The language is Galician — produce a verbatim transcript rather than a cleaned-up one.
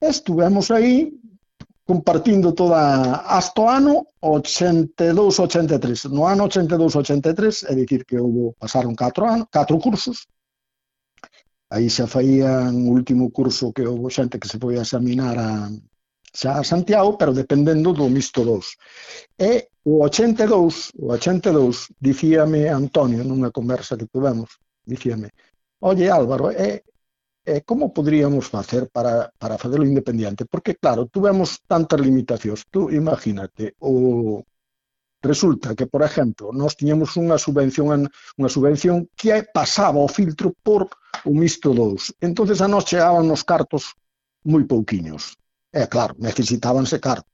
Estuvemos aí compartindo toda hasta o ano ochenta e dous ochenta e tres. No ano ochenta e dous ochenta e tres, é dicir que houve, pasaron catro anos, catro cursos. Aí xa faían o último curso que houve xente que se foi a examinar a, xa a Santiago, pero dependendo do mixto dous. E o ochenta e dous, o ochenta e dous, dicíame Antonio nunha conversa que tuvemos, dicíame, oye Álvaro, é, é como poderíamos facer para, para facelo independiente? Porque claro, tuvemos tantas limitacións. Tú imagínate, o resulta que, por exemplo, nós tiñamos unha subvención unha subvención que pasaba o filtro por o mixto dous. Entonces a nós chegaban nos cartos moi pouquiños. E claro, necesitábanse cartos.